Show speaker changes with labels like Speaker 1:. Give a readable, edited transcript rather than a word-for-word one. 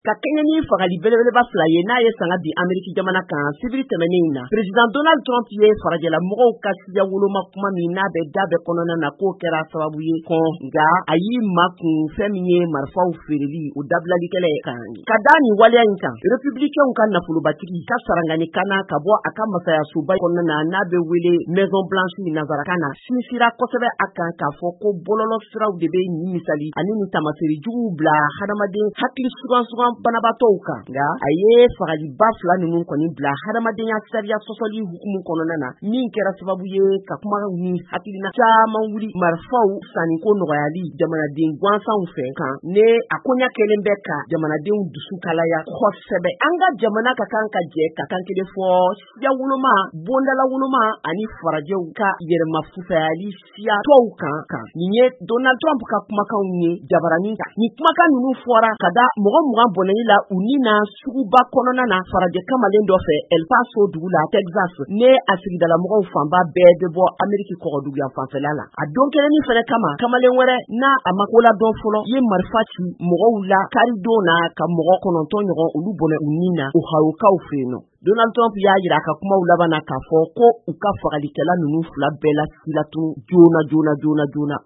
Speaker 1: Ka kɛɲɛ ni fagali belebeleba fila ye n'a ye sanga di Ameriki jamana kan sibiri tɛmɛnen in na, Président Donald Trump ye farajɛla mɔgɔw ka siya woloma kuma min n'a bɛ da bɛɛ kɔnɔna na, k'o kɛra sababu ye kɔn, nka a y'i makun fɛn min ye marifaw feereli o dabilalikɛlɛ kan. Ka da nin waleya in kan, Républicainw ka nafolobatigi ka sarangani kana ka bɔ a ka masayasoba kɔnɔna na, n'a bɛ wele Maison Blanche nansarakan na, sinsira kosɛbɛ a kan k'a fɔ ko bɔlɔlɔ siraw de bɛ nin misali ani nin taamasere juguw bila hadamaden hakili sugan sugan banabaatɔw kan. Nka a ye fagaliba fila ninnu kɔni bila hadamadenya sariya sɔsɔli hukumu kɔnɔna na, min kɛra sababu ye ka kuma ni hakilina caman wuli marifaw sanniko nɔgɔyali jamanaden gansanw fɛ kan, ne a koɲa kɛlen bɛ ka jamanadenw dusu kalaya kosɛbɛ. An ka jamana ka kan ka jɛ ka kan kelen fɔ siya woloma, bondala woloma ani farajɛw ka yɛrɛma fusayali siya tɔw kan. Nin ye Donald Trump ka kumakanw ye jabaranin kan. Nin kumakan ninnu fɔra ka da mɔgɔ 20 bɔnɛli la u ni na suguba kɔnɔna na farajɛ kamalen dɔ fɛ El Paso dugu la Texas, ne a sigidalamɔgɔw fanba bɛɛ bɛ bɔ Ameriki kɔgɔduguyan fanfɛla la. A don kelennin fɛnɛ kama, kamalen wɛrɛ n'a a ma ko ladɔn fɔlɔ ye marifa ci mɔgɔw la karidon na ka mɔgɔ 9 ɲɔgɔn olu bɔnɛ u ni na Ohiokaw fɛ yen nɔ. Donald Trump y'a jira a ka kumaw laban na k'a fɔ ko u ka fagalikɛla ninnu fila bɛɛ la silatunu joona joona joona joona.